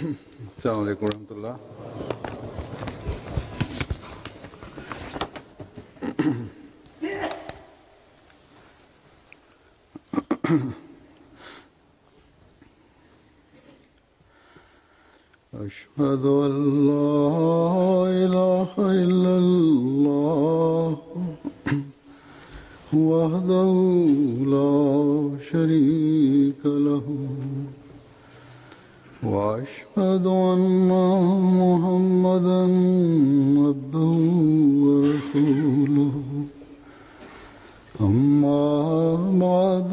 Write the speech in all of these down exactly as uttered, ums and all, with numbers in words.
अस्सलाम वालेकुम रहमतुल्लाह। أشهد أن لا إله إلا الله وحده لا شريك له وأشهد أن محمدا عبده ورسوله أما بعد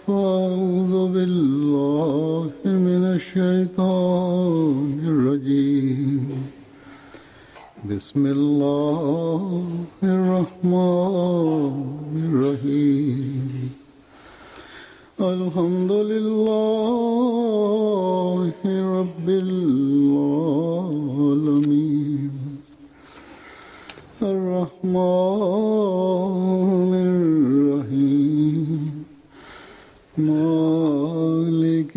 فأعوذ بالله من الشيطان الرجيم بسم الله الرحمن الرحيم الحمد لله رب العالمين الرحمن الرحيم مالك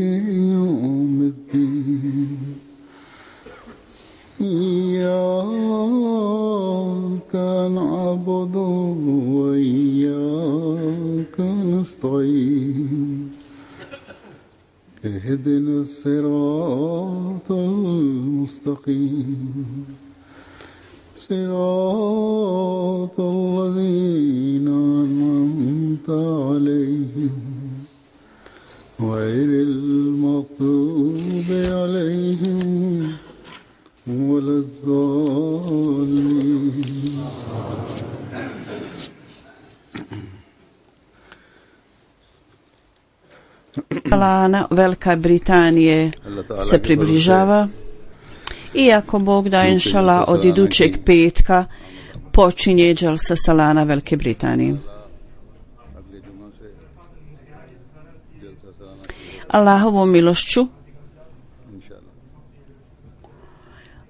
يوم الدين إياك نعبد وإياك نستعين اهدنا الصراط المستقيم صراط الذين أنعمت عليهم غير المغضوب عليهم ولا الضالين. Salana Velike Britanije se približava. Iako Bog da, inšala, od idućeg petka počinje dželsa Salana Velike Britanije. Allahovom milošću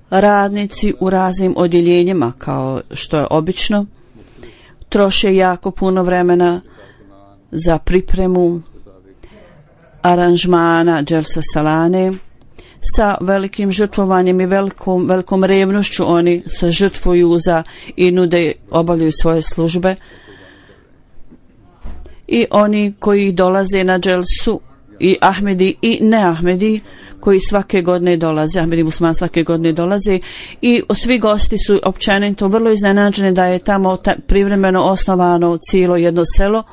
radnici u raznim odjeljenjima, kao što je obično, troše jako puno vremena za pripremu aranžmana dželsa Salane. Sa velikim žrtvovanjem i velikom, velikom revnošću oni se žrtvuju za i nude, obavljaju svoje službe. I oni koji dolaze na dželsu, i Ahmedi i ne Ahmedi, koji svake godine dolaze, Ahmedi musliman svake godine dolaze, i svi gosti su općenito vrlo iznenađeni da je tamo ta, privremeno osnovano cijelo jedno selo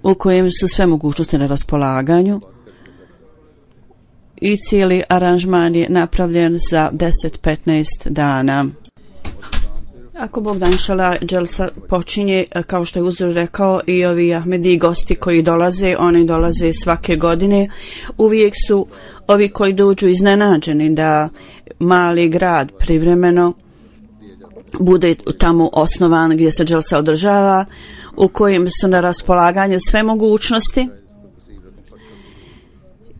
u kojem su sve mogućnosti na raspolaganju i cijeli aranžman je napravljen za deset do petnaest dana. Ako Bog da, inšala, dželsa počinje, kao što je uzor rekao, i ovi Ahmedi gosti koji dolaze, oni dolaze svake godine. Uvijek su ovi koji dođu iznenađeni da mali grad privremeno bude tamo osnovan gdje se dželsa održava, u kojem su na raspolaganju sve mogućnosti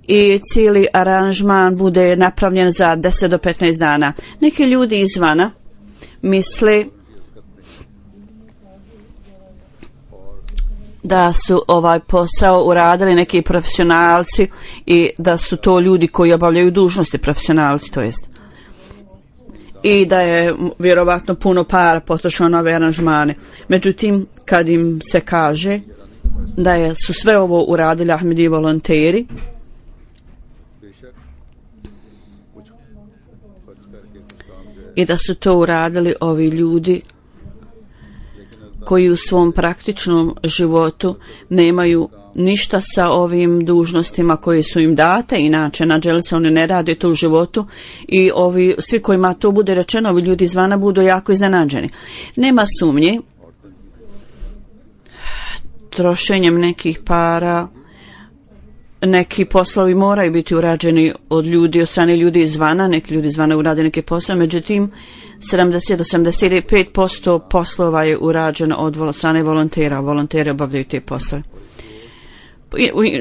i cijeli aranžman bude napravljen za deset do petnaest dana. Neki ljudi izvana misle da su ovaj posao uradili neki profesionalci i da su to ljudi koji obavljaju dužnosti, profesionalci to jest, i da je vjerovatno puno para potrošeno na ove aranžmane. Međutim, kad im se kaže da je, su sve ovo uradili Ahmedi volonteri, i da su to uradili ovi ljudi koji u svom praktičnom životu nemaju ništa sa ovim dužnostima koje su im date, inače na dželsi oni ne rade to u životu, i ovi svi kojima to bude rečeno, ovi ljudi izvana budu jako iznenađeni. Nema sumnje, trošenjem nekih para neki poslovi moraju biti urađeni od ljudi, od strane ljudi izvana, neki ljudi izvana urade neke poslove, međutim sedamdeset do sedamdeset pet posto poslova je urađeno od strane volontera, volonteri obavljaju te poslove.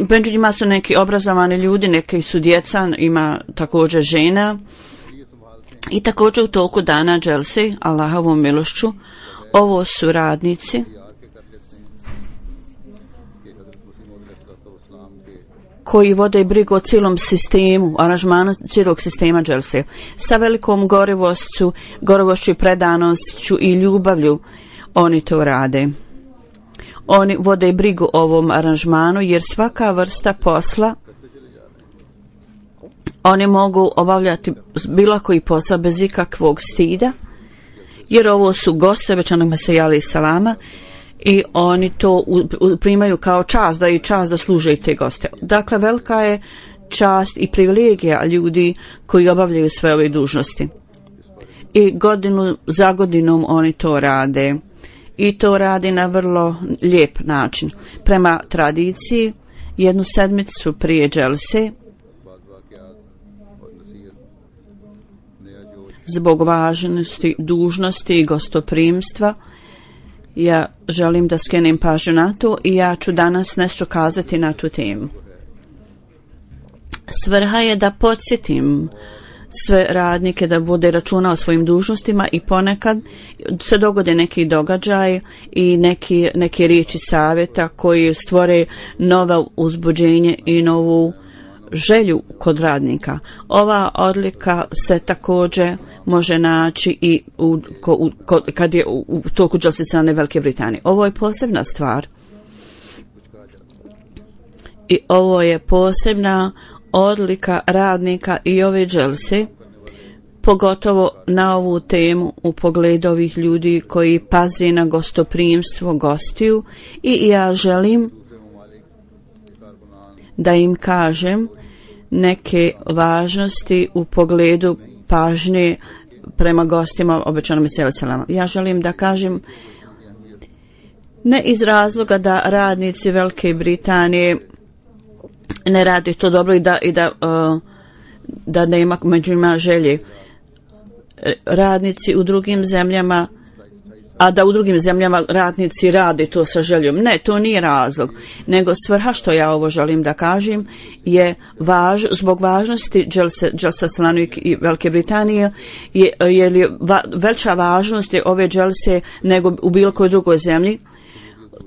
Među njima su neki obrazovani ljudi, neki su djeca, ima također žena, i također u toku dana dželse, Allahovom milošću, ovo su radnici koji vode brigu o cijelom sistemu, aranžmanu cijelog sistema dželse. Sa velikom gorivošću, gorivošću i predanošću i ljubavlju oni to rade. Oni vode brigu o ovom aranžmanu jer svaka vrsta posla oni mogu obavljati bilo koji posao bez ikakvog stida, jer ovo su goste obećanog Mesija alejhi salama i oni to primaju kao čast, da je čast da služe te goste. Dakle, velika je čast i privilegija ljudi koji obavljaju sve ove dužnosti. I godinu za godinom oni to rade. I to radi na vrlo lijep način. Prema tradiciji, jednu sedmicu prije dželse, zbog važnosti, dužnosti i gostoprimstva, ja želim da skrenem pažnju na to i ja ću danas nešto kazati na tu temu. Svrha je da podsjetim sve radnike da vode računa o svojim dužnostima i ponekad se dogode neki događaj i neki, neki riječi savjeta koji stvore nova uzbuđenje i novu želju kod radnika. Ova odlika se također može naći i u, u, kad je u, u toku dželse strane Velike Britanije. Ovo je posebna stvar i ovo je posebna odlika radnika i ove dželse, pogotovo na ovu temu u pogledu ovih ljudi koji paze na gostoprimstvo gostiju i ja želim da im kažem neke važnosti u pogledu pažnje prema gostima obećanom Mesija alejhi salama. Ja želim da kažem ne iz razloga da radnici Velike Britanije ne radi to dobro i da, i da, uh, da nema među njima želje. Radnici u drugim zemljama, a da u drugim zemljama radnici rade to sa željom. Ne, to nije razlog, nego svrha što ja ovo želim da kažem je važ, zbog važnosti dželsa Salanu i Velike Britanije je, je li va, veća važnost je ove dželse nego u bilo kojoj drugoj zemlji.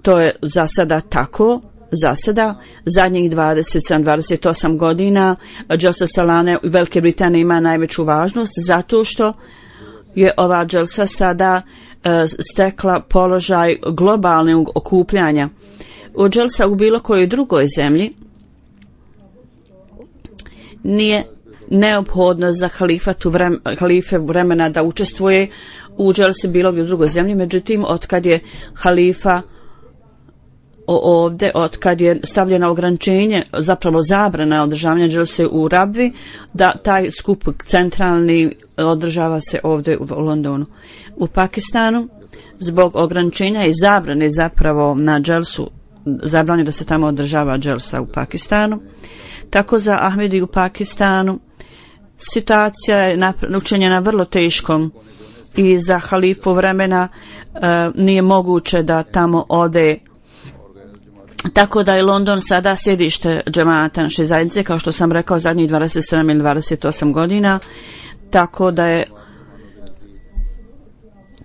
To je za sada tako. Za sada, zadnjih dvadeset sedam dvadeset osam godina dželsa Salane u Velike Britanije ima najveću važnost zato što je ova dželsa sada uh, stekla položaj globalnog okupljanja. U dželsa u bilo kojoj drugoj zemlji nije neophodno za halifatu vrem, halife vremena da učestvuje u dželsi bilo gdje u drugoj zemlji, međutim, otkad je halifa ovdje, od kad je stavljeno ograničenje, zapravo zabrana održavanja dželse u Rabvi, da taj skup centralni održava se ovdje u Londonu. U Pakistanu, zbog ograničenja i zabrane zapravo na dželsu, zabranjeno da se tamo održava dželsa u Pakistanu, tako za Ahmedi u Pakistanu situacija je učinjena vrlo teškom i za halifu vremena uh, nije moguće da tamo ode. Tako da je London sada sjedište džemata naše zajednice, kao što sam rekao, zadnjih dvadeset sedam ili dvadeset osam godina, tako da je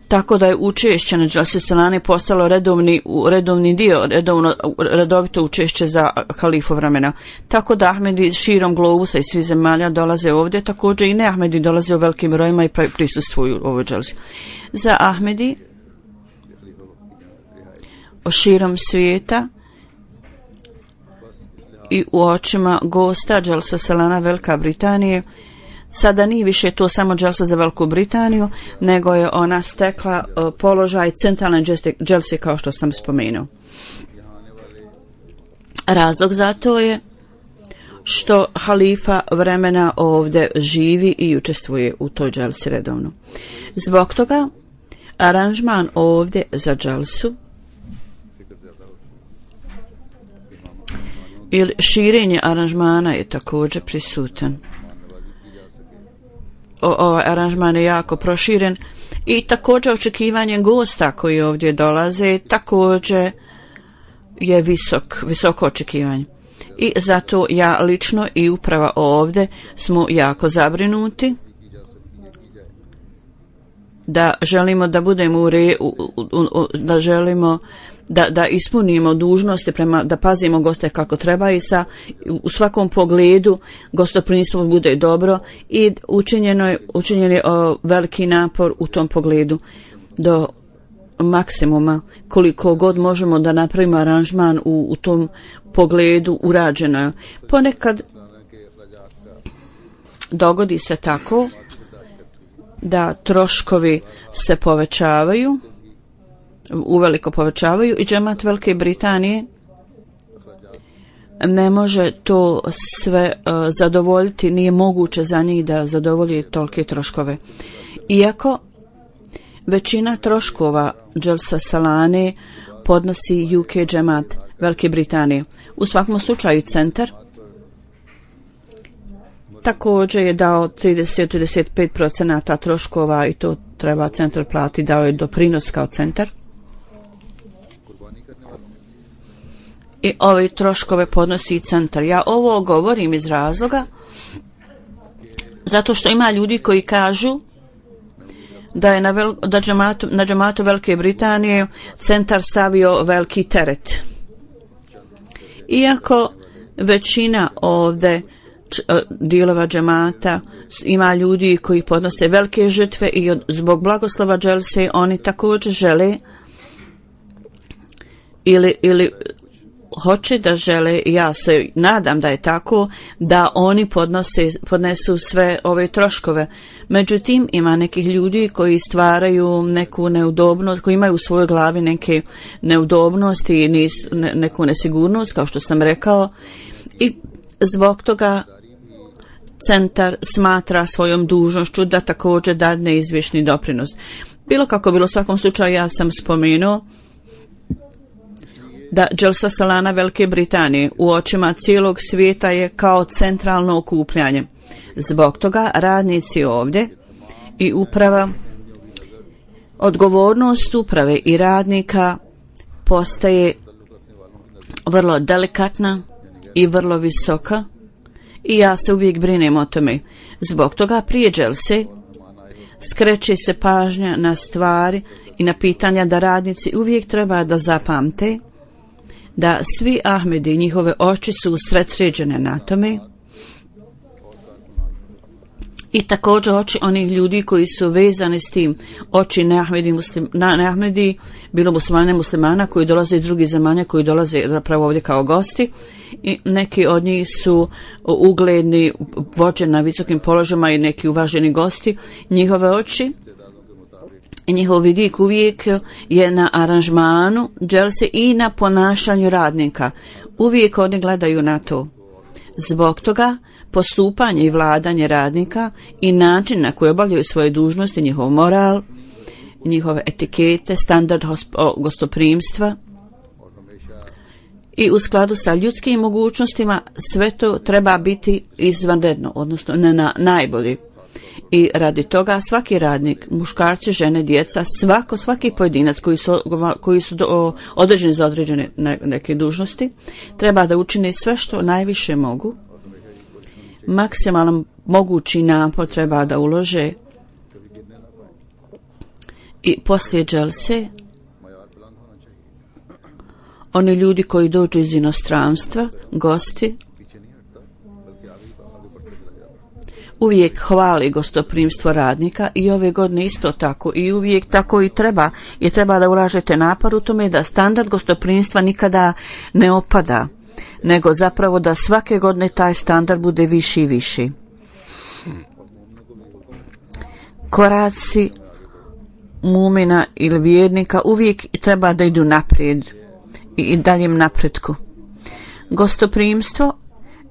tako da je učešće na dželsi Salane postalo redovni, redovni dio, redovno, redovito učešće za halifu vremena. Tako da Ahmedi širom globusa i svih zemalja dolaze ovdje, također i ne Ahmedi dolaze u velikim brojima i prisustvuju u ovoj dželsi. Za Ahmedi širom svijeta i u očima gosta dželsa Salana Velika Britanije sada nije više to samo dželsa za Veliku Britaniju, nego je ona stekla uh, položaj centralne dželse kao što sam spomenuo. Razlog za to je što halifa vremena ovdje živi i učestvuje u toj dželsi redovno. Zbog toga aranžman ovdje za dželsu ili širenje aranžmana je također prisutan. O, ovaj aranžman je jako proširen i također očekivanje gosta koji ovdje dolaze također je visok, visoko očekivanje. I zato ja lično i uprava ovdje smo jako zabrinuti da želimo da budemo u re, u, u, u, da želimo da, da ispunimo dužnosti prema, da pazimo goste kako treba i sa u svakom pogledu gostoprimstvo bude dobro i učinjeno je, učinjen je o, veliki napor u tom pogledu do maksimuma koliko god možemo da napravimo aranžman u, u tom pogledu urađeno je. Ponekad dogodi se tako da troškovi se povećavaju, uveliko povećavaju i džemat Velike Britanije ne može to sve uh, zadovoljiti, nije moguće za njih da zadovolji tolike troškove. Iako većina troškova Dželsa Salane podnosi U K džemat Velike Britanije. U svakom slučaju centar također je dao trideset do trideset pet posto troškova i to treba centar platiti, dao je doprinos kao centar. I ove troškove podnosi centar. Ja ovo govorim iz razloga zato što ima ljudi koji kažu da je na, vel, da džematu, na džematu Velike Britanije centar stavio veliki teret. Iako većina ovdje dijelova džemata ima ljudi koji podnose velike žrtve i od, zbog blagoslova Dželse oni također žele ili, ili hoće da žele, ja se nadam da je tako, da oni podnose, podnesu sve ove troškove. Međutim, ima nekih ljudi koji stvaraju neku neudobnost, koji imaju u svojoj glavi neke neudobnosti i nis, ne, neku nesigurnost, kao što sam rekao, i zbog toga centar smatra svojom dužnošću da također dadne izvješni doprinos. Bilo kako bilo, u svakom slučaju ja sam spomenuo da Dželsa Salana Velike Britanije u očima cijelog svijeta je kao centralno okupljanje. Zbog toga radnici ovdje i uprava, odgovornost uprave i radnika postaje vrlo delikatna i vrlo visoka i ja se uvijek brinem o tome. Zbog toga prije Dželse skreće se pažnja na stvari i na pitanja da radnici uvijek treba da zapamte da svi Ahmedi i njihove oči su usredsređene na tome i također oči onih ljudi koji su vezani s tim, oči neahmedi, muslim, na, neahmedi bilo muslimane muslimana koji dolaze iz drugih zemalja, koji dolaze zapravo ovdje kao gosti i neki od njih su ugledni vođe na visokim položajima i neki uvaženi gosti. Njihove oči i njihov vidik uvijek je na aranžmanu Dželse i na ponašanju radnika. Uvijek oni gledaju na to. Zbog toga postupanje i vladanje radnika i način na koji obavljaju svoje dužnosti, njihov moral, njihove etikete, standard gostoprimstva i u skladu sa ljudskim mogućnostima sve to treba biti izvanredno, odnosno ne na najbolji. I radi toga svaki radnik, muškarci, žene, djeca, svako, svaki pojedinac koji su, koji su do, određeni za određene ne, neke dužnosti, treba da učini sve što najviše mogu. Maksimalan mogući napor treba da ulože i poslije Dželse oni ljudi koji dođu iz inostranstva, gosti, uvijek hvali gostoprimstvo radnika i ove godine isto tako i uvijek tako i treba i treba da ulažete napor u tome da standard gostoprimstva nikada ne opada, nego zapravo da svake godine taj standard bude viši i viši. Koraci mumina ili vjernika uvijek treba da idu naprijed i daljem napretku. Gostoprimstvo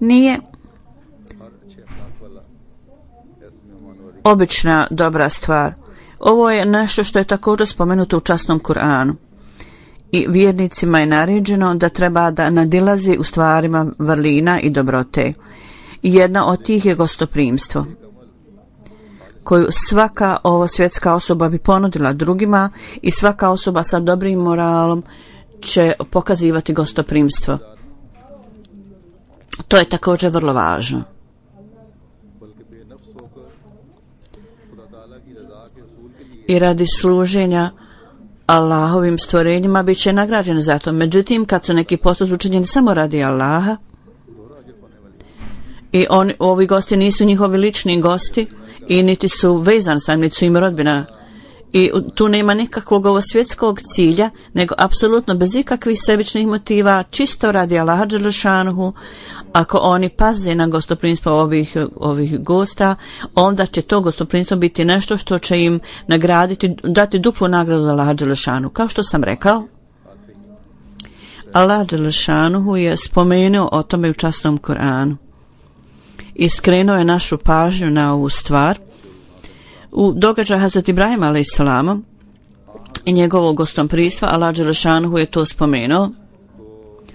nije obična dobra stvar. Ovo je nešto što je također spomenuto u časnom Kur'anu. I vjernicima je naređeno da treba da nadilazi u stvarima vrlina i dobrote. Jedna od tih je gostoprimstvo, koju svaka ovo svjetska osoba bi ponudila drugima i svaka osoba sa dobrim moralom će pokazivati gostoprimstvo. To je također vrlo važno. I radi služenja Allahovim stvorenjima bit će nagrađeni za to. Međutim, kad su neki postupci učinjeni samo radi Allaha i on, ovi gosti nisu njihovi lični gosti i niti su vezani sa njim, niti su im rodbina, i tu nema nikakvog ovo svjetskog cilja, nego apsolutno bez ikakvih sebičnih motiva, čisto radi Allaha dželešanuhu. Ako oni paze na gostoprimstvo ovih, ovih gosta, onda će to gostoprimstvo biti nešto što će im nagraditi, dati duplu nagradu Allaha dželešanuhu. Kao što sam rekao, Allah dželešanuhu je spomenuo o tome u časnom Kur'anu i skrenuo je našu pažnju na ovu stvar u događaju Hazreti Ibrahima alejselama i njegovog gostoprimstva. Allah dželešanuhu je to spomenuo,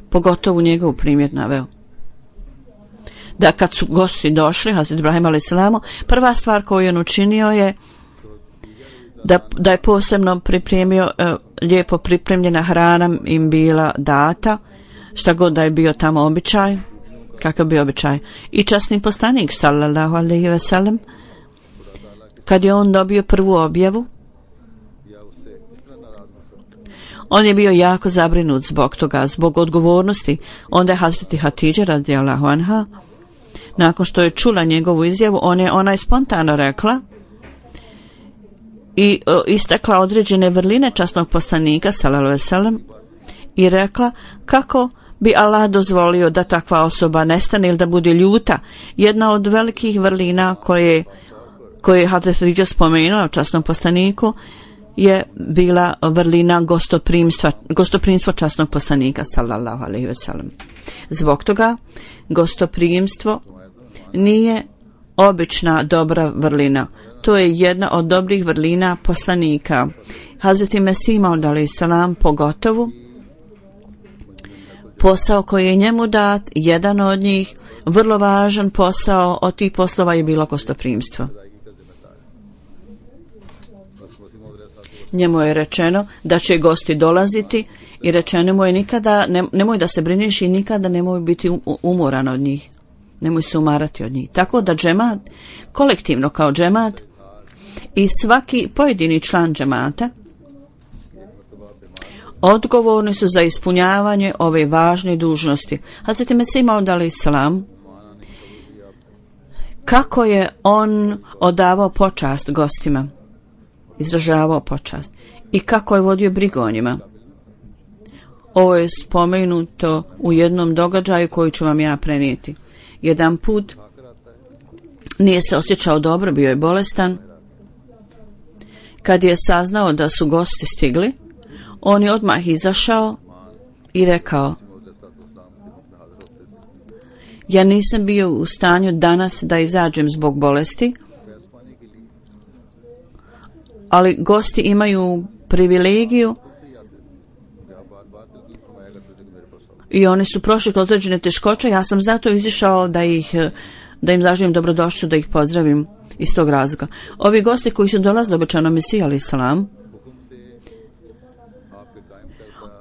pogotovo njegov primjer naveo. Da kad su gosti došli Hazreti Ibrahima alejselamu, prva stvar koju je on učinio je da, da je posebno pripremio, e, lijepo pripremljena hrana im bila data, šta god da je bio tamo običaj, kakav bio običaj. I časni poslanik sallallahu alejhi ve sellem, kad je on dobio prvu objavu, on je bio jako zabrinut zbog toga, zbog odgovornosti. Onda je Hazreti Hatidža radijallahu anha, nakon što je čula njegovu izjavu, on je, ona je spontano rekla i o, istakla određene vrline časnog poslanika sallallahu alejhi ve sellem i rekla kako bi Allah dozvolio da takva osoba nestane ili da bude ljuta. Jedna od velikih vrlina koje, koje je Hazreti Hatidža spomenula u časnom poslaniku je bila vrlina gostoprimstva, gostoprimstvo časnog poslanika sallallahu alejhi ve sellem. Zbog toga gostoprimstvo nije obična dobra vrlina. To je jedna od dobrih vrlina poslanika. Hazreti Mesih Maud alejselam pogotovo, posao koji je njemu dat, jedan od njih, vrlo važan posao od tih poslova je bilo gostoprimstvo. Njemu je rečeno da će gosti dolaziti i rečeno mu je nikada, ne, nemoj da se brineš i nikada nemoj biti umoran od njih. Nemoj se umarati od njih. Tako da džemat, kolektivno kao džemat i svaki pojedini član džemata odgovorni su za ispunjavanje ove važne dužnosti. Hazreti Mesih Maud alejselam, kako je on odavao počast gostima, izražavao počast i kako je vodio brigu o njima. Ovo je spomenuto u jednom događaju koji ću vam ja prenijeti. Jedan put nije se osjećao dobro, bio je bolestan. Kad je saznao da su gosti stigli, on je odmah izašao i rekao: ja nisam bio u stanju danas da izađem zbog bolesti, ali gosti imaju privilegiju i oni su prošli kroz određene teškoće. Ja sam zato izišao da ih, da im zaželim dobrodošću, da ih pozdravim iz tog razloga. Ovi gosti koji su dolazili obećano Mesiji alejselam,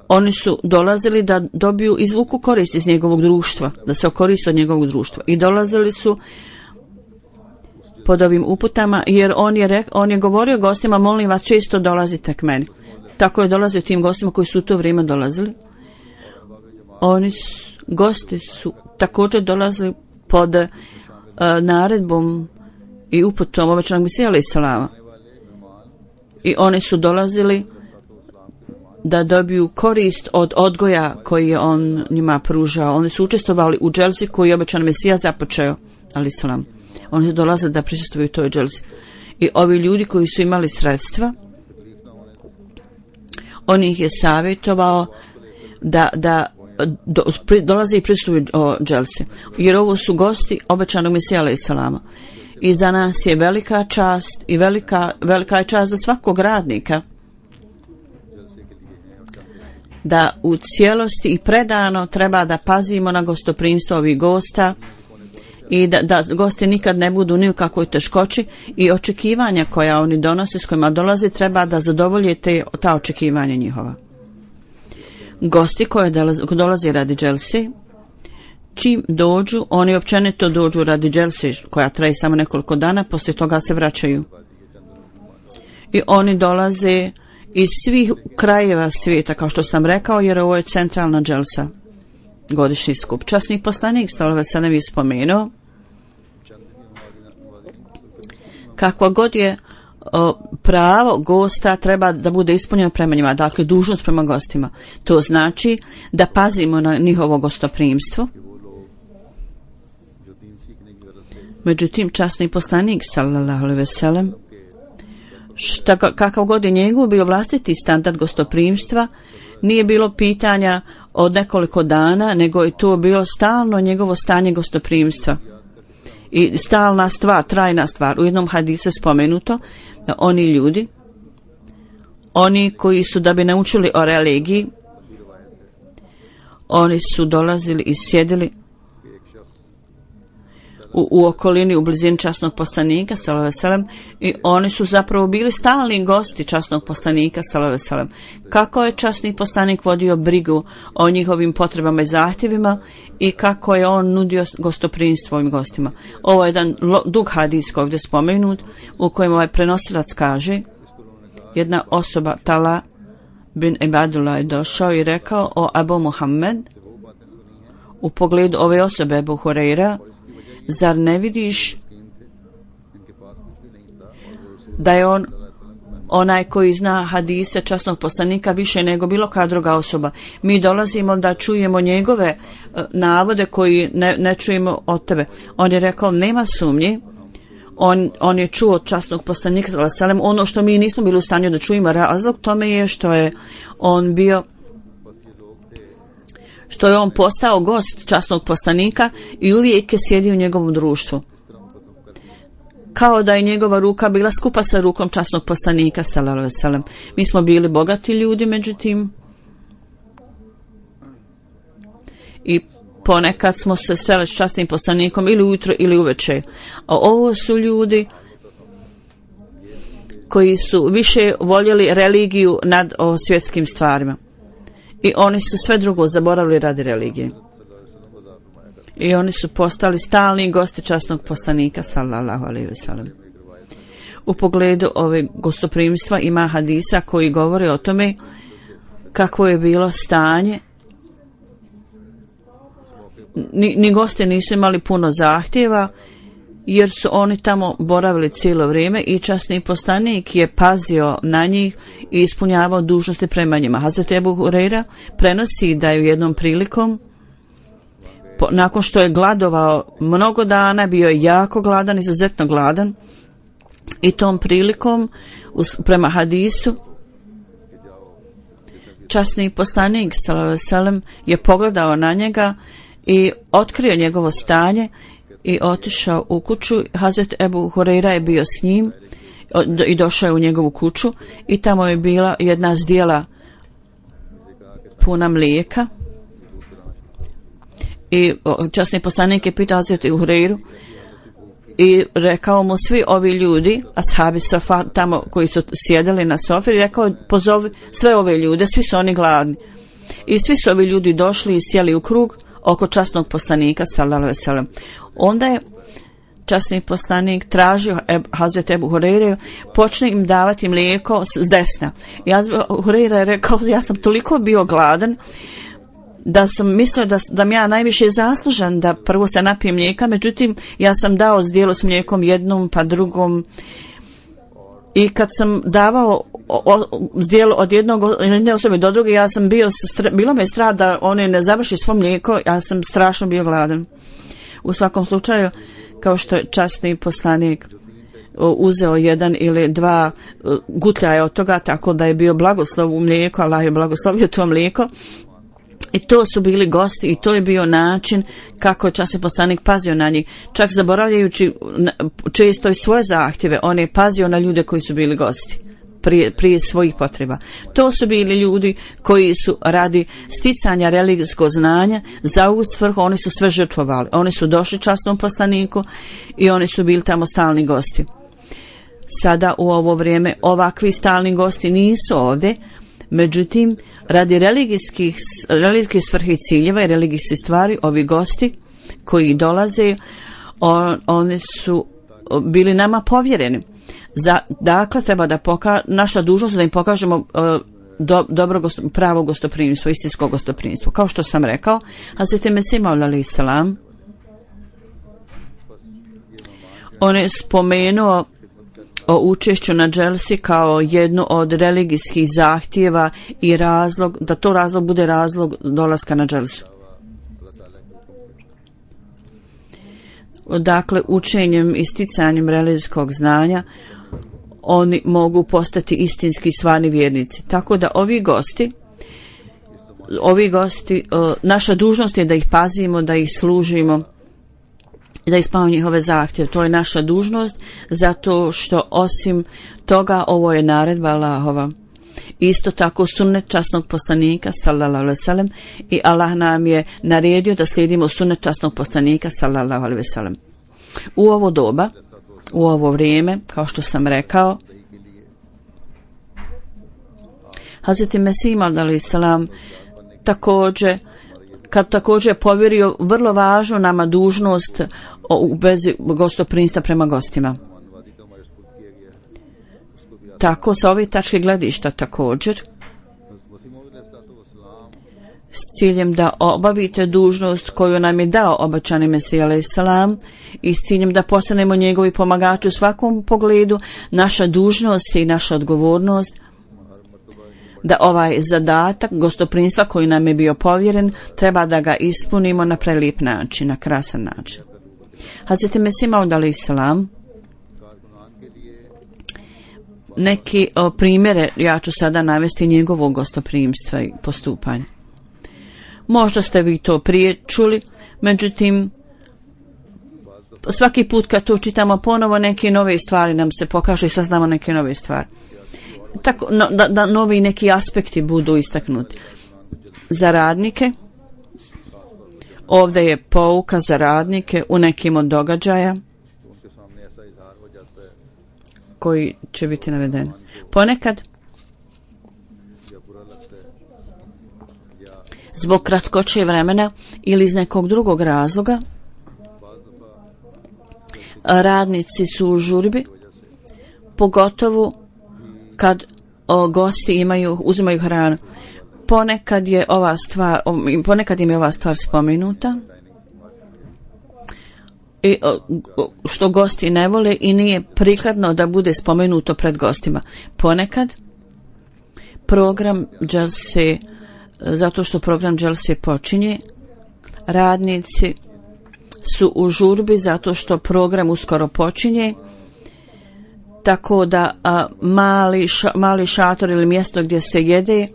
oni su dolazili da dobiju, izvuku korist iz njegovog društva, da se okoriste od njegovog društva. I dolazili su pod ovim uputama, jer on je, rek, on je govorio gostima: molim vas, često dolazite k meni. Tako je dolazio tim gostima koji su u to vrijeme dolazili. Oni su, gosti su također dolazili pod uh, naredbom i uputom obećanog Mesija alejselama. I oni su dolazili da dobiju korist od odgoja koji je on njima pružao. Oni su učestvovali u dželsi koju je obećan Mesija započeo alejselam. Oni su dolazili da prisustvuju toj dželsi. I ovi ljudi koji su imali sredstva, on ih je savjetovao da, da do, pri, dolaze i prisustvuju o dželsi. Jer ovo su gosti obećanog Mesija alejselama. I za nas je velika čast i velika, velika je čast za svakog radnika da u cijelosti i predano treba da pazimo na gostoprimstvo ovih gosta i da, da gosti nikad ne budu ni u kakvoj teškoći i očekivanja koja oni donose, s kojima dolaze, treba da zadovolje te, ta očekivanja njihova. Gosti koji dolaze, dolaze radi dželsi, čim dođu, oni općenito dođu radi dželsi koja traje samo nekoliko dana, poslije toga se vraćaju. I oni dolaze iz svih krajeva svijeta, kao što sam rekao, jer ovo je centralna dželsa, godišnji skup. Časni poslanik sallallahu alejhi ve sellem je spomenuo kakva god je o, pravo gosta treba da bude ispunjeno prema njima, dakle dužnost prema gostima. To znači da pazimo na njihovo gostoprimstvo. Međutim, časni poslanik sallallahu alejhi ve sellem, šta, kakav god je njegov bio vlastiti standard gostoprimstva, nije bilo pitanja od nekoliko dana, nego je to bilo stalno njegovo stanje gostoprimstva. I stalna stvar, trajna stvar. U jednom hadisu je spomenuto da oni ljudi, oni koji su da bi naučili o religiji, oni su dolazili i sjedili u, u okolini, u blizini časnog poslanika sallallahu alejhi ve sellem, i oni su zapravo bili stalni gosti časnog poslanika sallallahu alejhi ve sellem. Kako je časni poslanik vodio brigu o njihovim potrebama i zahtjevima i kako je on nudio gostoprimstvo ovim gostima. Ovo je jedan dug hadis ovdje spomenut u kojem ovaj prenosilac kaže, jedna osoba, Tala bin Ibadullah, je došao i rekao o Abu Muhammed u pogledu ove osobe Ebu Hureyra, zar ne vidiš da je on onaj koji zna hadise časnog poslanika više nego bilo koja druga osoba. Mi dolazimo da čujemo njegove uh, navode koji ne, ne čujemo od tebe. On je rekao, nema sumnje, on, on je čuo od časnog poslanika sallallahu alejhi ve sellem ono što mi nismo bili u stanju da čujemo. Razlog tome je što je on bio što je on postao gost časnog poslanika i uvijek je sjedio u njegovom društvu. Kao da je njegova ruka bila skupa sa rukom časnog poslanika sallallahu alejhi ve sellem. Mi smo bili bogati ljudi, međutim, i ponekad smo se sreli s časnim poslanikom ili ujutro ili uveče. A ovo su ljudi koji su više voljeli religiju nad o svjetskim stvarima. I oni su sve drugo zaboravili radi religije. I oni su postali stalni gosti časnog poslanika sallallahu alejhi ve sellem. U pogledu ove gostoprimstva ima hadisa koji govore o tome kako je bilo stanje. Ni, ni gosti nisu imali puno zahtjeva, jer su oni tamo boravili cijelo vrijeme i časni poslanik je pazio na njih i ispunjavao dužnosti prema njima. Hazret Ebu Hureyra prenosi da je u jednom prilikom, po, nakon što je gladovao mnogo dana, bio je jako gladan, izuzetno gladan, i tom prilikom us, prema hadisu časni poslanik sallallahu alejhi ve sellem je pogledao na njega i otkrio njegovo stanje i otišao u kuću. Hazret Ebu Hureyra je bio s njim i došao je u njegovu kuću i tamo je bila jedna zdjela puna mlijeka i časni poslanik je pitao Hazret Ebu Hureyru i rekao mu, svi ovi ljudi, ashabi sofa tamo koji su sjedali na sofi, rekao, pozovi sve ove ljude, svi su oni gladni. I svi su ovi ljudi došli i sjeli u krug oko časnog poslanika sallallahu alejhi ve sellem. Onda je časni poslanik tražio Hazret Ebu Hureyre, počne im davati mlijeko s desna. I Hureyre je rekao, ja sam toliko bio gladan da sam mislio da, da mi ja najviše zaslužan da prvo se napijem mlijeka, međutim ja sam dao zdjelo s mlijekom jednom pa drugom, i kad sam davao zdjelo od jednog jedne osobe do druge, ja sam bio, bilo me strah da one ne završi svo mlijeko, ja sam strašno bio gladan. U svakom slučaju, kao što je časni poslanik uzeo jedan ili dva gutljaja od toga, tako da je bio blagoslov u mlijeku, Allah je blagoslovio to mlijeko. I to su bili gosti i to je bio način kako je časni poslanik pazio na njih. Čak zaboravljajući često i svoje zahtjeve, on je pazio na ljude koji su bili gosti prije, prije svojih potreba. To su bili ljudi koji su radi sticanja religijskog znanja za ovu svrhu, oni su sve žrtvovali. Oni su došli časnom poslaniku i oni su bili tamo stalni gosti. Sada u ovo vrijeme ovakvi stalni gosti nisu ovdje, međutim, radi religijskih, religijskih svrhe i ciljeva i religijskih stvari, ovi gosti koji dolaze, on, oni su bili nama povjereni. Za, dakle, treba da poka, naša dužnost da im pokažemo uh, do, dobro gosto, pravo gostoprimstvo, istinsko gostoprimstvo. Kao što sam rekao, Hazreti Mesih Maud alejhi selam, on je spomenuo o učešću na dželsi kao jednu od religijskih zahtjeva i razlog, da to razlog bude razlog dolaska na dželsu. Dakle, učenjem i sticanjem religijskog znanja oni mogu postati istinski stvarni vjernici. Tako da ovi gosti, ovi gosti, naša dužnost je da ih pazimo, da ih služimo, da ispunimo njihove zahtjeve. To je naša dužnost, zato što osim toga ovo je naredba Allahova. Isto tako sunnet časnog poslanika sallallahu alejhi ve sellem, i Allah nam je naredio da slijedimo sunnet časnog poslanika sallallahu alejhi ve sellem. U ovo doba, u ovo vrijeme, kao što sam rekao, Hazreti Mesih Maud alejhi selam također kad također povjerio vrlo važnu nama dužnost u vezi gostoprimstva prema gostima. Tako sa ove tačke gledišta također s ciljem da obavite dužnost koju nam je dao obećani Mesija alejhi selam i s ciljem da postanemo njegovi pomagači u svakom pogledu, naša dužnost i naša odgovornost da ovaj zadatak gostoprimstva koji nam je bio povjeren treba da ga ispunimo na prelijep način, na krasan način. Hazreti Mesih Maud alejhi selam, neki o, primjere ja ću sada navesti njegovog gostoprimstva i postupanja. Možda ste vi to prije čuli, međutim svaki put kad to čitamo ponovo neke nove stvari nam se pokažu i saznamo neke nove stvari. Tako no, da, da novi neki aspekti budu istaknuti. Za radnike, ovdje je pouka za radnike u nekim od događaja koji će biti navedeni. Ponekad zbog kratkoće vremena ili iz nekog drugog razloga radnici su u žurbi, pogotovo kad o, gosti imaju, uzimaju hranu. Ponekad je ova stvar, ponekad im je ova stvar spomenuta i o, što gosti ne vole i nije prikladno da bude spomenuto pred gostima. Ponekad program dželse, zato što program dželse počinje, radnici su u žurbi zato što program uskoro počinje, tako da a, mali, ša, mali šator ili mjesto gdje se jede,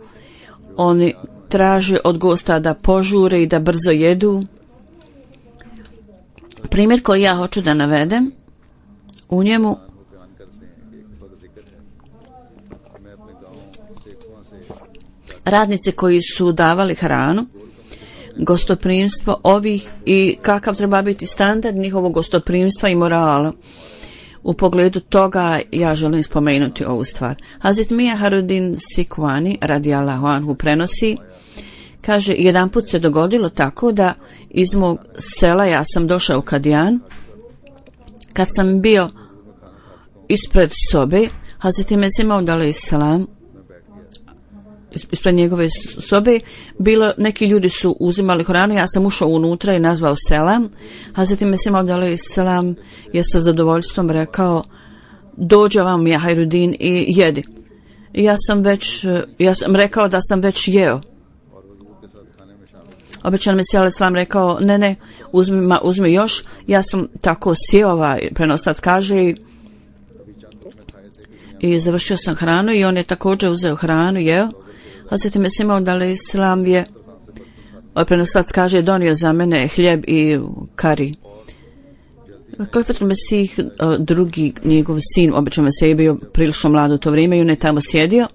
oni traže od gosta da požure i da brzo jedu. Primjer koji ja hoću da navedem, u njemu radnici koji su davali hranu, gostoprimstvo ovih i kakav treba biti standard njihovog gostoprimstva i morala. U pogledu toga ja želim spomenuti ovu stvar. Hazret Mija Harudin Sikvani radijallahu anhu prenosi, kaže, jedan put se dogodilo tako da iz mog sela ja sam došao u Kadijan. Kad sam bio ispred sobe, Hazret Mesih Maud alejhi selam, ispred njegove sobe, bilo, neki ljudi su uzimali hranu, ja sam ušao unutra i nazvao selam. Hazreti Mesih Maud alejhi selam je sa zadovoljstvom rekao, dođe vam ja Hajrudin i jedi. I ja sam već, ja sam rekao da sam već jeo. Obećan Mesih alejhi selam rekao, ne, ne, uzmi, ma, uzmi još. Ja sam tako sjeo, ovaj prenoslac kaže, i, i završio sam hranu i on je također uzeo hranu, jeo. Hazreti Mesih Maud alejhi selam je, prenoslac kaže, donio za mene hljeb i kari. Kalifatul Mesih, drugi njegov sin, obično Mesih je bio prilično mlad u to vrijeme i on je tamo sjedio.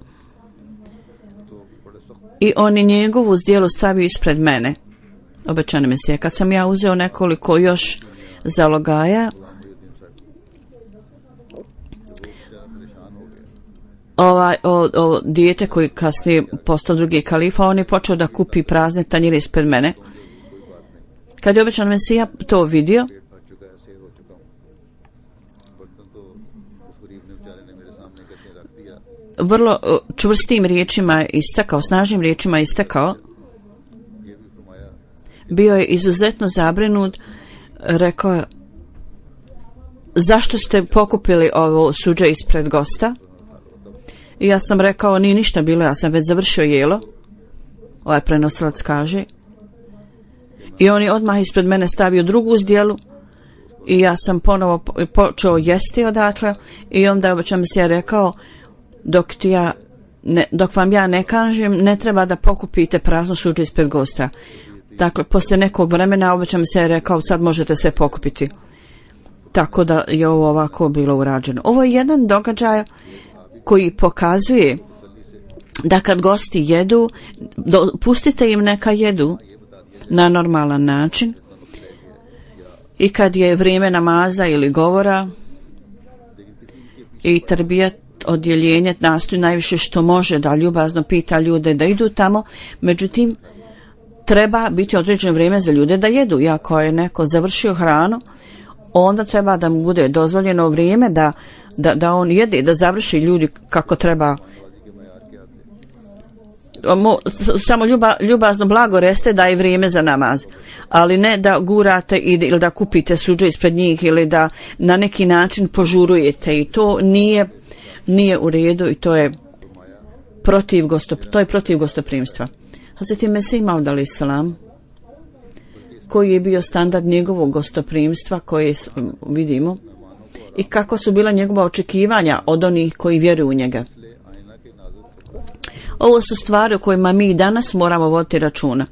I on je njegovu zdjelu stavio ispred mene, obećani Mesih. Kad sam ja uzeo nekoliko još zalogaja, Ovaj, o, o, dijete koji kasnije postao drugi kalifa, on je počeo da kupi prazne tanjire ispred mene. Kad je obećan Mesija to vidio, vrlo čvrstim riječima istakao, snažnim riječima istakao. Bio je izuzetno zabrinut, rekao je: zašto ste pokupili ovo suđe ispred gosta? I ja sam rekao: nije ništa bilo, ja sam već završio jelo. Ovaj prenosilac kaže. I on je odmah ispred mene stavio drugu zdjelu i ja sam ponovo počeo jesti odatle i onda obično mi se je rekao: dok, ti ja ne, dok vam ja ne kažem, ne treba da pokupite prazno suđe ispred gosta. Dakle, poslije nekog vremena obično mi se je rekao: sad možete sve pokupiti. Tako da je ovo ovako bilo urađeno. Ovo je jedan događaj koji pokazuje da kad gosti jedu, do, pustite im neka jedu na normalan način i kad je vrijeme namaza ili govora i tarbijat odjeljenje nastoji najviše što može da ljubazno pita ljude da idu tamo, međutim treba biti određeno vrijeme za ljude da jedu. I ako je neko završio hranu, onda treba da mu bude dozvoljeno vrijeme da, da, da on jede, da završi ljudi kako treba. Mo, samo ljuba, ljubazno blago reste da je vrijeme za namaz, ali ne da gurate ili da kupite suđe ispred njih ili da na neki način požurujete, i to nije, nije u redu i to je protiv, gostop, to je protiv gostoprimstva. Hazreti Mesih Maud alejhi selam, koji je bio standard njegovog gostoprimstva koje vidimo i kako su bila njegova očekivanja od onih koji vjeruju u njega. Ovo su stvari o kojima mi danas moramo voditi računa.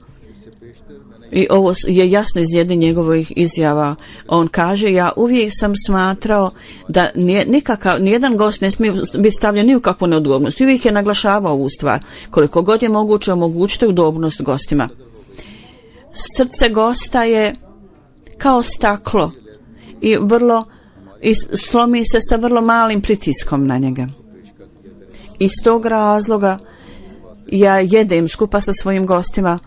I ovo je jasno iz jedne njegovih izjava. On kaže: ja uvijek sam smatrao da nikakav, nijedan gost ne smije biti stavljen ni u kakvu neudobnost. I uvijek je naglašavao ovu stvar. Koliko god je moguće, omogućiti udobnost gostima. Srce gosta je kao staklo i vrlo i slomi se sa vrlo malim pritiskom na njega. Iz tog razloga ja jedem skupa sa svojim gostima,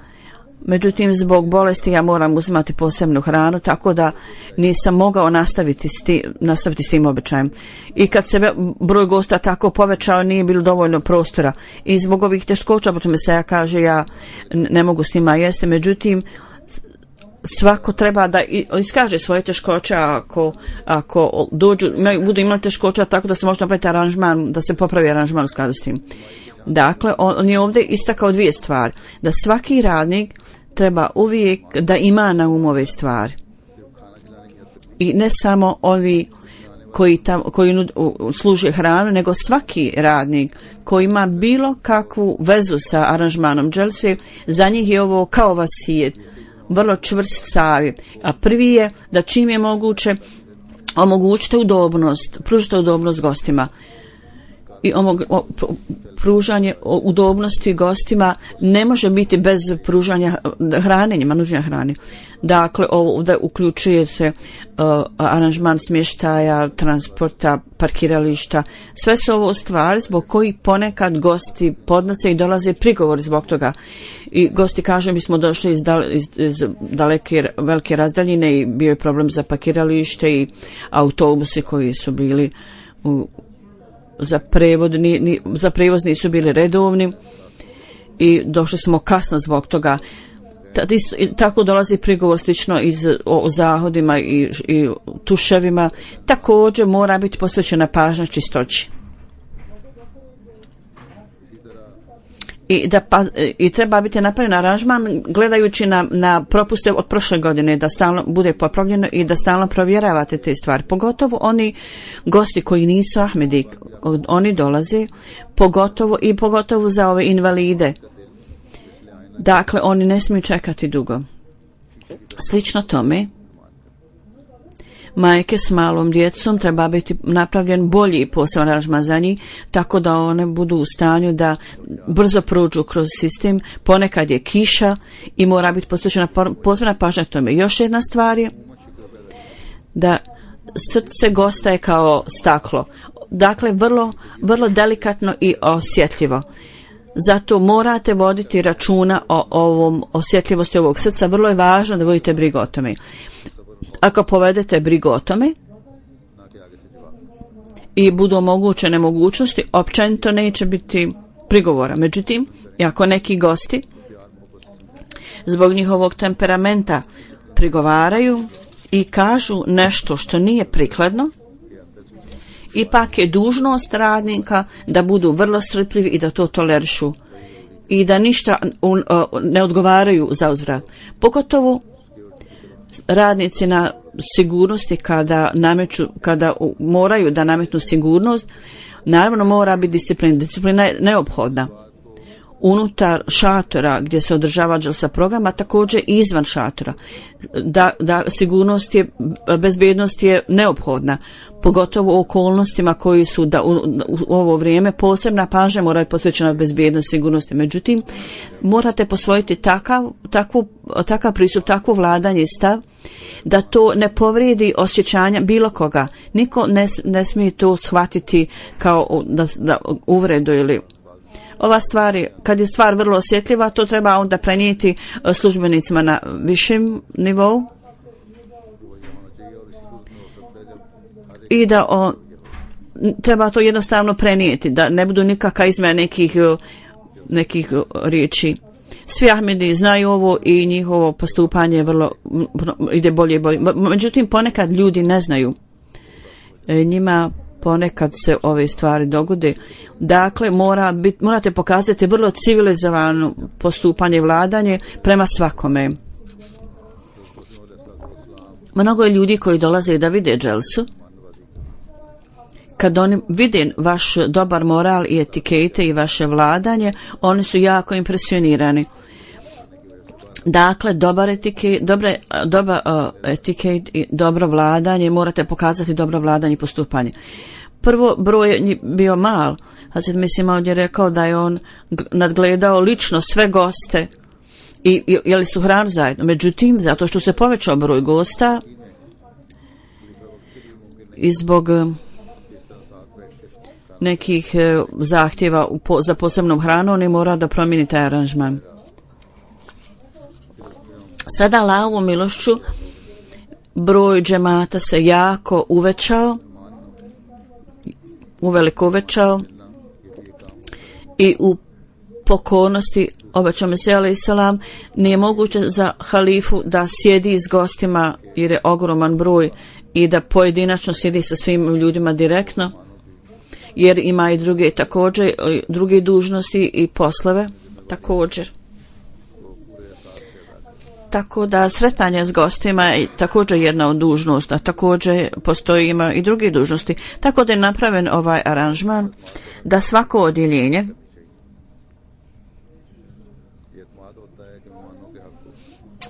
međutim zbog bolesti ja moram uzimati posebnu hranu, tako da nisam mogao nastaviti s, ti, nastaviti s tim običajem. I kad se broj gosta tako povećao, nije bilo dovoljno prostora i zbog ovih teškoća, potom se ja kaže ja ne mogu s njima jesti, međutim svako treba da iskaže svoje teškoće ako, ako dođu, budu imali teškoća, tako da se može napraviti aranžman, da se popravi aranžman u skladu s tim. Dakle, on je ovdje istakao dvije stvari. Da svaki radnik treba uvijek da ima na umu ove stvari. I ne samo ovi koji, tam, koji nud, služe hranu, nego svaki radnik koji ima bilo kakvu vezu sa aranžmanom dželse, za njih je ovo kao vasijet, vrlo čvrst savjet. A prvi je da čim je moguće omogućite udobnost, pružite udobnost gostima. I omog, o, pružanje udobnosti gostima ne može biti bez pružanja hrane, njima nužnja hrane. Dakle, ovdje uključuje se uh, aranžman smještaja, transporta, parkirališta. Sve su ovo stvari zbog koji ponekad gosti podnose i dolaze prigovor zbog toga. I gosti kaže: mi smo došli iz, dal, iz, iz daleke, velike razdaljine i bio je problem za parkiralište i autobusi koji su bili u za prevod, ni, ni, za prevoz nisu bili redovni i došli smo kasno zbog toga. Tako dolazi prigovor slično iz, o, o zahodima i, i tuševima. Također mora biti posvećena pažnja čistoći. I, da pa, i treba biti napravljen aranžman gledajući na, na propuste od prošle godine, da stalno bude popravljeno i da stalno provjeravate te stvari. Pogotovo oni gosti koji nisu Ahmedi, oni dolaze, pogotovo i pogotovo za ove invalide. Dakle, oni ne smiju čekati dugo. Slično tome, majke s malom djecom treba biti napravljen bolji poseban aranžman za njih, tako da one budu u stanju da brzo prođu kroz sistem. Ponekad je kiša i mora biti posvećena posebna pažnja tome. Još jedna stvar je da srce gosta je kao staklo. Dakle, vrlo, vrlo delikatno i osjetljivo. Zato morate voditi računa o ovom osjetljivosti ovog srca. Vrlo je važno da vodite brigu o tome. Ako povedete brigu o tome i budu omogućene mogućnosti, općenito neće biti prigovora. Međutim, ako neki gosti zbog njihovog temperamenta prigovaraju i kažu nešto što nije prikladno, ipak je dužnost radnika da budu vrlo strpljivi i da to tolerišu i da ništa ne odgovaraju za uzvrat. Pogotovo radnici na sigurnosti kada nameću, kada moraju da nametnu sigurnost, naravno mora biti disciplina. Disciplina je neophodna unutar šatora gdje se održava dželsa programa, također i izvan šatora. Da, da sigurnost je, bezbjednost je neophodna, pogotovo u okolnostima koji su da u, u ovo vrijeme posebna pažnja mora biti posvećena bezbjednosti, sigurnosti. Međutim, morate posvojiti takav, takvu, takav pristup, takvo vladanje i stav da to ne povrijedi osjećanja bilo koga. Niko ne, ne smije to shvatiti kao da, da uvredu ili ova stvar, kad je stvar vrlo osjetljiva, to treba onda prenijeti službenicima na višem nivou i da on, treba to jednostavno prenijeti, da ne budu nikakva izmjena nekih, nekih riječi. Svi Ahmedi znaju ovo i njihovo postupanje je vrlo, ide bolje i bolje. Međutim, ponekad ljudi ne znaju. Njima ponekad se ove stvari dogode. Dakle, mora bit, morate pokazati vrlo civilizovano postupanje i vladanje prema svakome. Mnogo je ljudi koji dolaze da vide dželsu. Kad oni vide vaš dobar moral i etikete i vaše vladanje, oni su jako impresionirani. Dakle, dobar etiket, dobre, dobar uh, etiket i dobro vladanje, morate pokazati dobro vladanje i postupanje. Prvo, broj je bio mal. Hazret mislim ovdje je rekao da je on nadgledao lično sve goste i, i jeli su hranu zajedno. Međutim, zato što se povećao broj gosta i zbog nekih zahtjeva za posebnom hranom, on je morao da promijeni taj aranžman. Sada Allahovom milošću broj džemata se jako uvećao, uveliko uvećao i u pokornosti obećao Mesija alejhi selam nije moguće za halifu da sjedi s gostima jer je ogroman broj i da pojedinačno sjedi sa svim ljudima direktno, jer ima i druge također, druge dužnosti i poslove također. Tako da sretanje s gostima je također jedna od dužnosti, a također postoji ima i druge dužnosti. Tako da je napraven ovaj aranžman da svako odjeljenje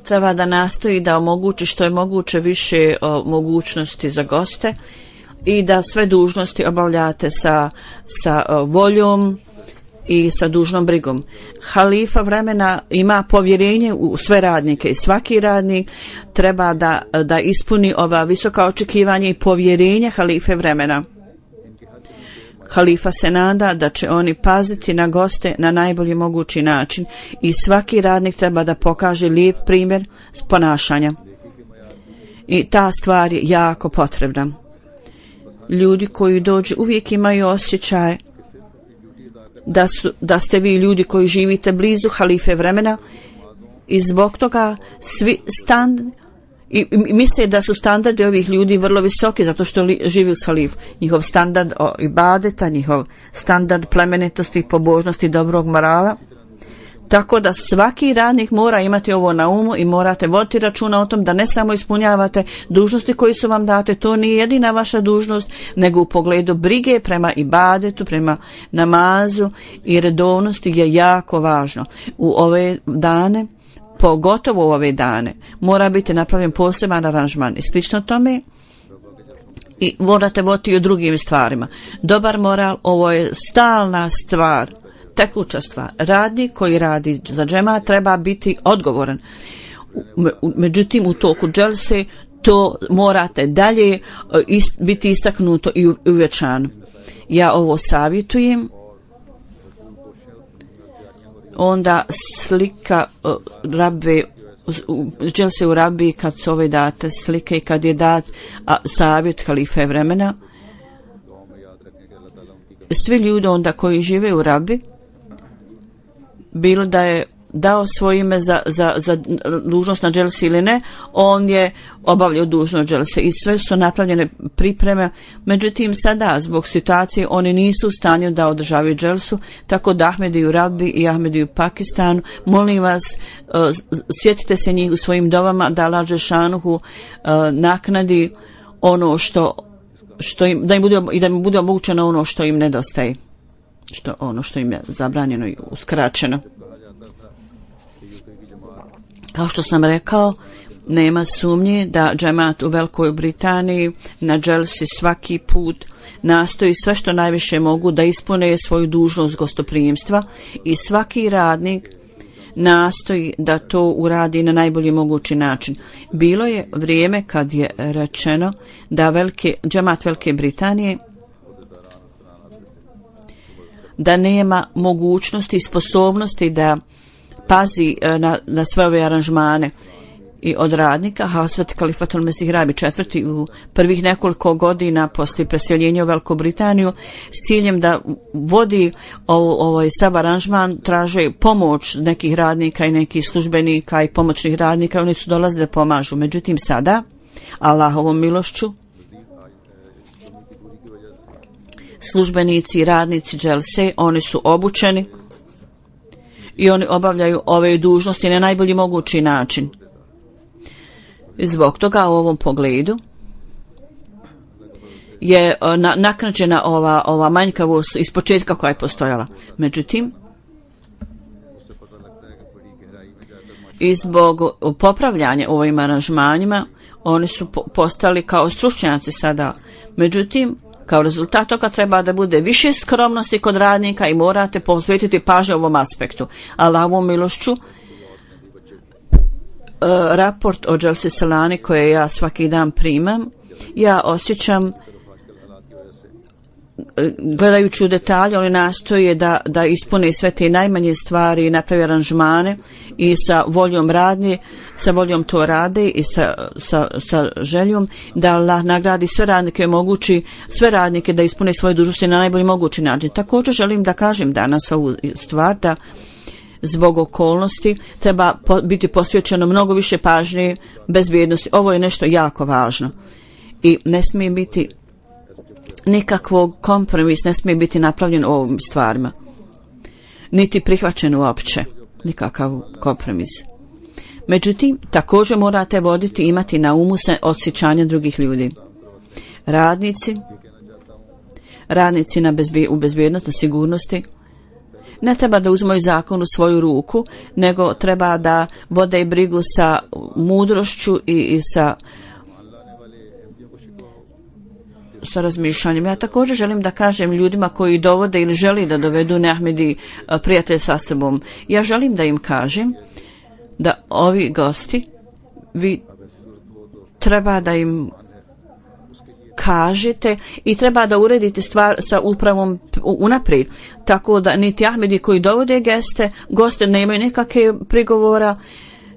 treba da nastoji da omogući što je moguće više o, mogućnosti za goste i da sve dužnosti obavljate sa, sa o, voljom i sa dužnom brigom. Halifa vremena ima povjerenje u sve radnike i svaki radnik treba da, da ispuni ova visoka očekivanja i povjerenje halife vremena. Halifa se nada da će oni paziti na goste na najbolji mogući način i svaki radnik treba da pokaže lijep primjer ponašanja. I ta stvar je jako potrebna. Ljudi koji dođu uvijek imaju osjećaj da, su, da ste vi ljudi koji živite blizu halife vremena i zbog toga svi stand i, i misle da su standardi ovih ljudi vrlo visoki zato što li, živi uz halif. Njihov standard o ibadeta, njihov standard plemenitosti i pobožnosti dobrog morala. Tako da svaki radnik mora imati ovo na umu i morate voditi računa o tom da ne samo ispunjavate dužnosti koji su vam date, to nije jedina vaša dužnost, nego u pogledu brige prema ibadetu, prema namazu i redovnosti je jako važno. U ove dane, pogotovo u ove dane, mora biti napravljen poseban aranžman i slično tome i morate voditi i o drugim stvarima. Dobar moral, ovo je stalna stvar, tekuća stvar. Radnik koji radi za džema treba biti odgovoran. Međutim, u toku dželse to morate dalje ist, biti istaknuto i uvećano. Ja ovo savjetujem. Onda slika uh, rabbe, dželse u rabbi kad su ove date slike i kad je dat a, savjet halife vremena, svi ljudi onda koji žive u Rabi, bilo da je dao svoje ime za, za, za dužnost na dželsi ili ne, on je obavljao dužnost dželse i sve su napravljene pripreme. Međutim, sada zbog situacije oni nisu u stanju da održavaju dželsu, tako da Ahmedi u Rabi i Ahmedi u Pakistanu, molim vas, uh, sjetite se njih u svojim dovama da Allah dželšanuhu uh, naknadi ono što, što im, da im bude, i da im bude omogućeno ono što im nedostaje, što, ono što im je zabranjeno i uskraćeno. Kao što sam rekao, nema sumnje da džemat u Velikoj Britaniji na dželsi svaki put nastoji sve što najviše mogu da ispune svoju dužnost gostoprijemstva i svaki radnik nastoji da to uradi na najbolji mogući način. Bilo je vrijeme kad je rečeno da velike, džemat Velike Britanije da nema mogućnosti i sposobnosti da pazi na, na sve ove aranžmane i od radnika. Hazret Kalifatul Mesih Rabi četvrti u prvih nekoliko godina poslije preseljenja u Veliku Britaniju s ciljem da vodi ovo, ovaj sav aranžman, traže pomoć nekih radnika i nekih službenika i pomoćnih radnika, oni su dolazili da pomažu. Međutim, sada Allahovom milošću službenici i radnici dželse, oni su obučeni i oni obavljaju ove dužnosti na najbolji mogući način. I zbog toga u ovom pogledu je na, naknadžena ova, ova manjkavost iz početka koja je postojala. Međutim, i zbog popravljanja ovim aranžmanjima, oni su po, postali kao stručnjaci sada. Međutim, kao rezultat toga treba da bude više skromnosti kod radnika i morate posvetiti pažnju ovom aspektu. Allahovom milošću, uh, raport o dželsi Salani koje ja svaki dan primam, ja osjećam, gledajući u detalje, oni nastoje da, da ispune sve te najmanje stvari i napravi aranžmane i sa voljom radnje, sa voljom to rade i sa, sa, sa željom da Allah nagradi sve radnike, omogući sve radnike da ispune svoje dužnosti na najbolji mogući način. Također želim da kažem danas ovu stvar da zbog okolnosti treba po, biti posvećeno mnogo više pažnje bezbjednosti. Ovo je nešto jako važno i ne smije biti nikakvog kompromis, ne smije biti napravljen u ovim stvarima. Niti prihvaćen uopće. Nikakav kompromis. Međutim, također morate voditi, imati na umu se osjećanja drugih ljudi. Radnici, radnici na bezbje, u bezbjednosti, sigurnosti, ne treba da uzmaju zakon u svoju ruku, nego treba da vode i brigu sa mudrošću i, i sa sa razmišljanjem. Ja također želim da kažem ljudima koji dovode ili želi da dovedu neahmedi prijatelj sa sobom. Ja želim da im kažem da ovi gosti, vi treba da im kažete i treba da uredite stvar sa upravom unaprijed. Tako da niti ahmedi koji dovode geste, goste nemaju nikakve prigovora,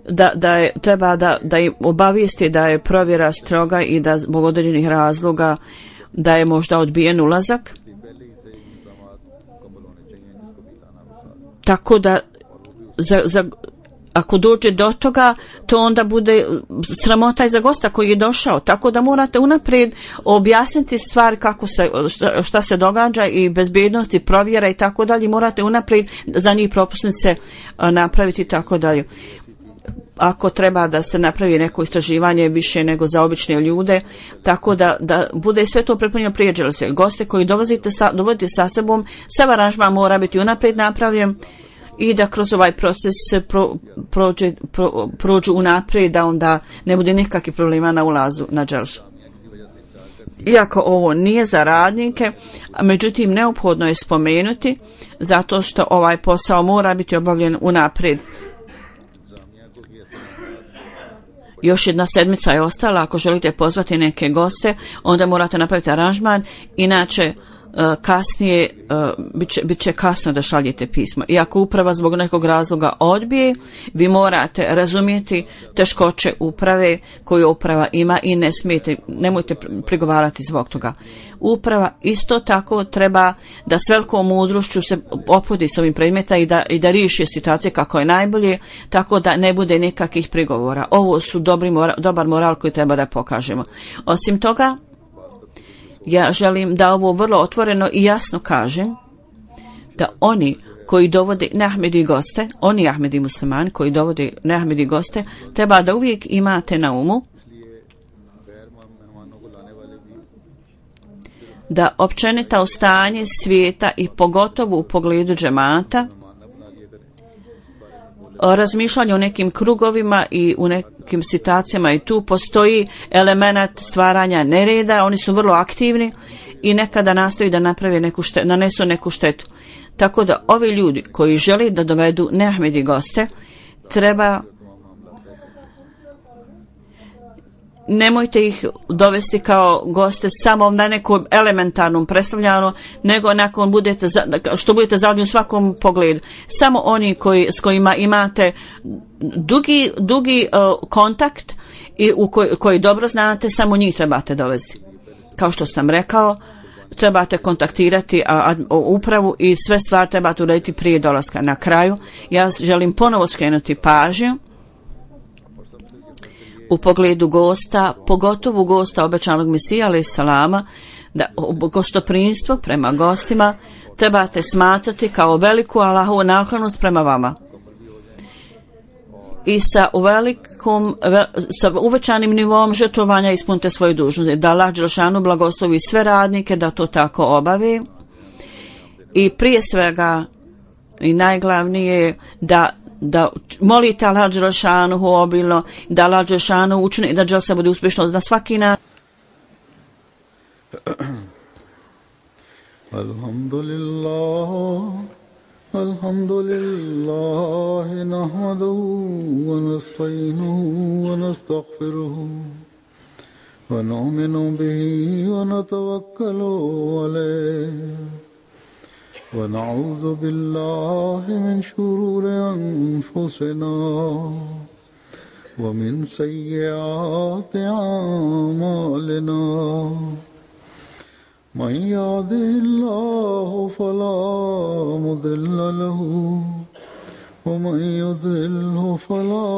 da, da je, treba da, da im obavijesti da je provjera stroga i da zbog određenih razloga da je možda odbijen ulazak. Tako da za, za, ako dođe do toga, to onda bude sramota i za gosta koji je došao. Tako da morate unaprijed objasniti stvari kako se, šta, šta se događa i bezbjednost i provjera i tako dalje. Morate unaprijed za njih propusnice napraviti i tako dalje. Ako treba da se napravi neko istraživanje više nego za obične ljude, tako da, da bude sve to pripremljeno prije dželse. Goste koji dovodite sa, dovodite sa sobom, sav aranžman mora biti unaprijed napravljen i da kroz ovaj proces pro, prođe, pro, prođu unaprijed, da onda ne bude nikakvih problema na ulazu na dželsu. Iako ovo nije za radnike, međutim neophodno je spomenuti zato što ovaj posao mora biti obavljen unaprijed. Još jedna sedmica je ostala, ako želite pozvati neke goste, onda morate napraviti aranžman, inače kasnije bit će, bit će kasno da šaljete pismo. I ako uprava zbog nekog razloga odbije, vi morate razumjeti teškoće uprave koju uprava ima i ne smijete, nemojte prigovarati zbog toga. Uprava isto tako treba da s velikom mudrošću se opodi s ovim predmeta i da, i da riješi situacije kako je najbolje, tako da ne bude nikakvih prigovora. Ovo su dobri moral, dobar moral koji treba da pokažemo. Osim toga, ja želim da ovo vrlo otvoreno i jasno kažem, da oni koji dovode neahmedi goste, oni ahmedi muslimani koji dovode neahmedi goste, treba da uvijek imate na umu da općenito stanje svijeta i pogotovo u pogledu džemata, razmišljanje o nekim krugovima i u nekim situacijama i tu postoji element stvaranja nereda, oni su vrlo aktivni i nekada nastoji da naprave neku štetu, nanesu neku štetu. Tako da ovi ljudi koji žele da dovedu neahmedi goste, treba nemojte ih dovesti kao goste samo na nekom elementarnom predstavljanju, nego nakon budete za, što budete zadovoljni u svakom pogledu. Samo oni koji, s kojima imate dugi, dugi uh, kontakt i u koj, koji dobro znate, samo njih trebate dovesti. Kao što sam rekao, trebate kontaktirati a, a, upravu i sve stvari trebate urediti prije dolaska. Na kraju, ja želim ponovo skrenuti pažnju u pogledu gosta, pogotovo gosta obećanog Mesija alejhi salama, da gostoprimstvo prema gostima trebate smatrati kao veliku Allahovu naklonost prema vama. I sa velikom, sa uvećanim nivom žrtvovanja ispunite svoju dužnost. Da Allah dželešanu blagoslovi sve radnike da to tako obave. I prije svega i najglavnije da da molite Allah dželešanu obilno, da Allah dželešanu učini da dželsa bude uspješno na svaki način. Alhamdulillah, alhamdulillah, nahmaduhu wa nasta'inuhu wa nastaghfiruhu wa nu'minu bihi wa natawakkalu alayhi. ونعوذ بالله من شرور أنفسنا ومن سيئات أعمالنا من يهده الله فلا مضل له ومن يضلل فلا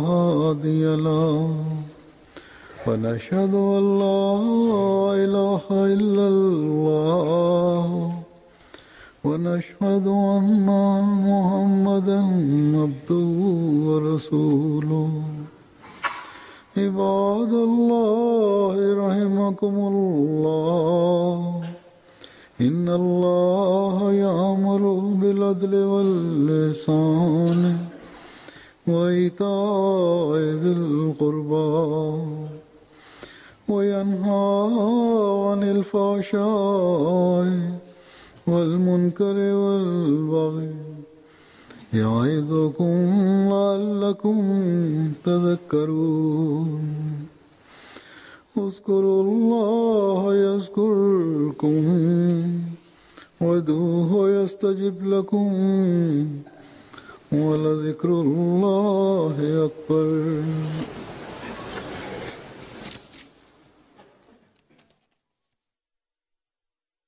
هادي له ونشهد أن لا إله إلا الله ونشهد أن محمدا عبده ورسوله عباد الله رحمكم الله إن الله يأمر بالعدل والإحسان وإيتاء ذي القربى وينهى عن الفحشاء والمنكر والبغي يعظكم لعلكم تذكرون اذكروا الله يذكركم وادعوه يستجب لكم ولذكر الله أكبر.